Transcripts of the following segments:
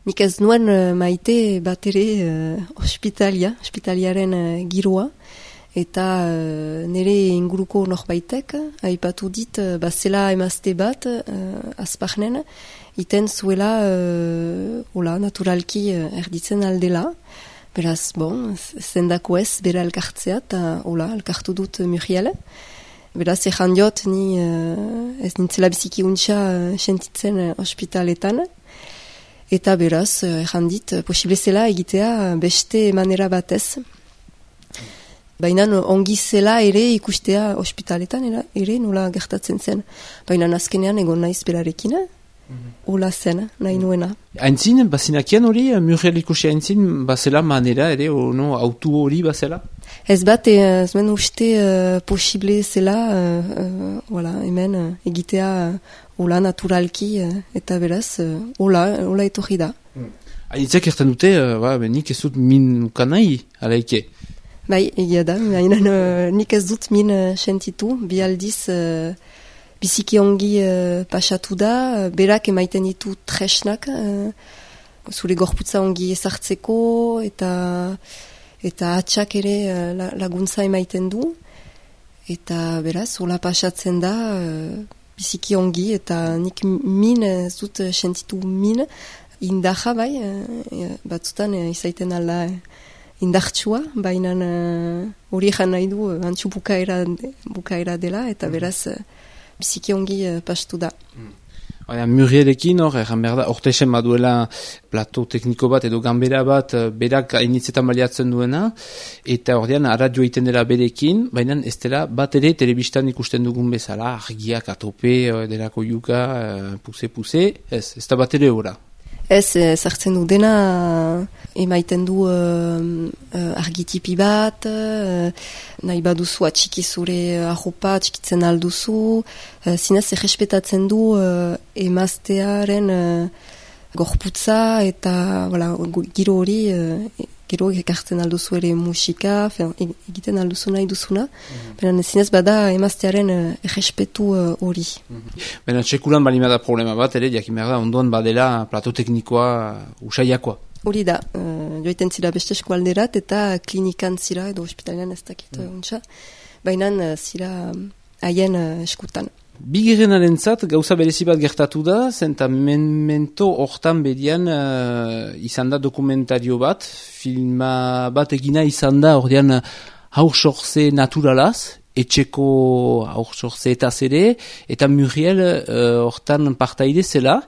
nik ez nuen maite bat ere ospitaliaren giroa, eta nire inguruko norbaitek aipatu dit bazela emazte bat azparnen, iten zuela naturalki erditzen aldela. Beraz, zendako ez bera elkartzea, eta elkartu dut Muriel. Beraz, ezan diot, ni ez nintzela biziki untxa sentitzen ospitaletan. Eta beraz, ezan dit, posible zela egitea beste manera batez. Baina ongi zela ere ikustea ospitaletan, ere nola gertatzen zen. Baina azkenean egon naiz berarekin, hola zen, nahi nuena. Aintzin, bazinakian hori, Muriel ikusi aintzin, bazela manera ere, autu hori bazela? Ez bat, ez ben uste posible zela, hemen egitea hola naturalki, eta beraz, hola etorri da. Hainitzak erten dute, nik ez dut min ukanai, alaike? Bai, egia da, nik ez dut min sentitu, bi aldiz biziki ongi pasatu da, berak emaiten ditu tresnak, zure gorputza ongi ezartzeko, eta atxak ere laguntza emaiten du, eta beraz, hola pasatzen da, biziki ongi, eta nik min ez dut sentitu min, indaja bai, batzutan izaiten alda indartsua, baina hori egan nahi du antxu bukaera dela, eta beraz biziki ongi pastu da. Murielekin egan behar da, ortesen baduela plato tekniko bat edo ganbera bat berak hainitzetan baliatzen duena, eta ordean radio egiten dela berekin, baina ez dela bat ere telebistan ikusten dugun bezala, argiak atope, delako yuka, puse, ez da bat ere ora. Ez, zartzen du dena, emaiten du argitipi bat, nahi baduzu atxiki zure arropa, atxikitzen alduzu, zinez errespetatzen du emaztearen gorputza eta giro hori, gero ekartzen alduzu ere musika, egiten alduzu nahi duzuna, baina zinez bada emaztearen errespetu hori. Baina txekulan balimada problema bat, ere, jakin behar da, ondoan badela plato teknikoa usaiakoa. Hori da, joiten zira beste eskualderat eta klinikan zira edo ospitalean ez dakit untsa, baina zira haien eskutan. Bigarrenaren zat, gauza berezi bat gertatu da, zenta memento hortan bedian izan da dokumentario bat, filma bat egina izan da, ordean haursorze naturalaz, etxeko haursorze eta zere, eta Muriel hortan partaide zela,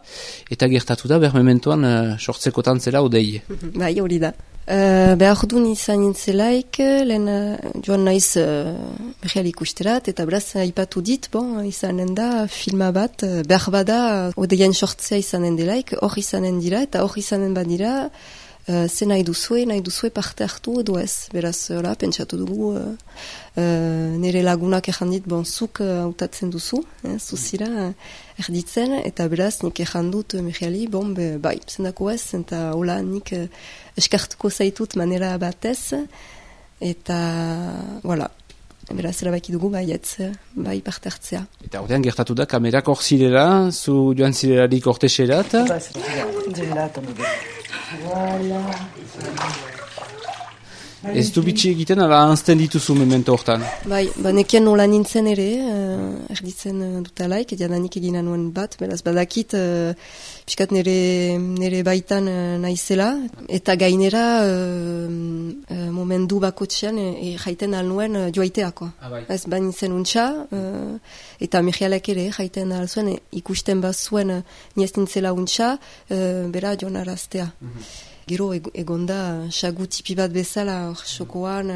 eta gertatu da, mementoan sortzekotan zela odei. Bai, hori da. Behar duen izan nintzelaik, lehen joan naiz Muriel ikusterat, eta beraz aipatu dit, izanen da filma bat, behar bada odeien sortzea izanen delaik, hor izanen dira, eta hor izanen badira, ze nahi duzue parte hartu edo ez. Beraz, pentsatu dugu, nire lagunak ejan dit, zuk hautatzen duzu, zuzira erditzen, eta beraz nik ejan dut Murieli, bai, zendako ez, eta hola nik eskartuko zaitut manera batez, eta, beraz, erabaki dugu bai parte hartzea. Eta ordean gertatu da, kamerak hor zirela, zu joan zirelarik orteserat? Ez du bitxi egiten, ala anzten dituzu memento hortan? Bai, nekien nola nintzen ere, erditzen dutalaik, jadanik egina nuen bat, beraz badakit, piskat nire baitan naizela, eta gainera momentu bakotxean jaiten alnuen joaiteako. Ez bainitzen untxa, eta Murielek ere jaiten alzuen, ikusten bazuen niez nintzela untxa, bera joan araztea. Gero egonda sagu tipi bat bezala xokoan,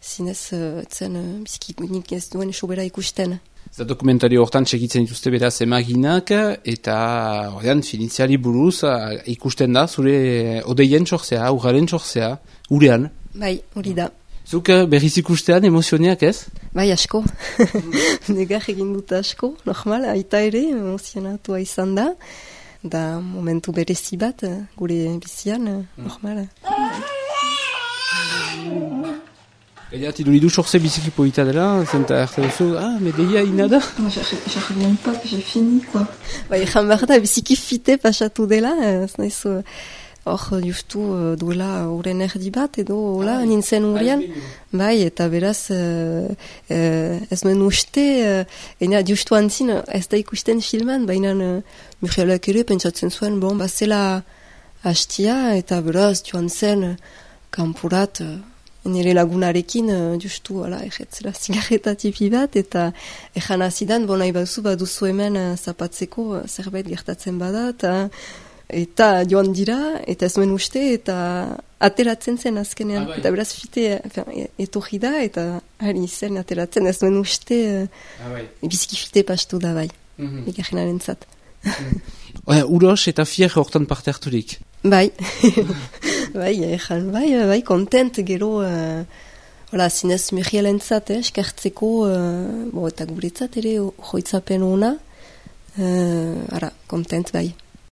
zinez zen biziki ez duen sobera ikusten. Eta dokumentario hortan txekitzen dituzte beraz emaginak, eta ordean finitziari buruz ikusten da zure odeien txorzea, urgaren txorzea, urean. Bai, hori da. Zuk berriz ikustean emozioneak ez? Bai, asko. Negar egin dut asko, normal, aita ere, emozionatua izan da. Da momentu berezi bat, gure bizian, normal. Gaia, tiduridu sorse biziki polita dela, zenta arte duzu, medeia ina da? Je reviens pas que j'ai fini, quoi. Ejan behar da, biziki fite pasatu dela, ez nahizu hor justu duela horren erdi bat, edo hola, nintzen hurrian. Bai, eta beraz, ez nuen uste, justu antzin, ez da ikusten filman, baina Murielek ere pentsatzen zuen, bon, bazela hastia, eta beraz, joan zen, kanpurat, nire lagunarekin, justu, erretzela zigarreta tipi bat, eta ezan azidan, bon, nahi baduzu hemen zapatzeko zerbait gertatzen badat, eta joan dira, eta ez nuen uste, eta ateratzen zen azkenean. Eta beraz fite, etorri da, eta hari zen ateratzen, ez nuen uste, biziki fite pastu da bai, egarrenaren zat. Uros eta fier hortan parte harturik. Bai, bai, kontent gero, zinez Murielen-zat, eskertzeko, eta guretzat ere, joitzapen ona, kontent bai.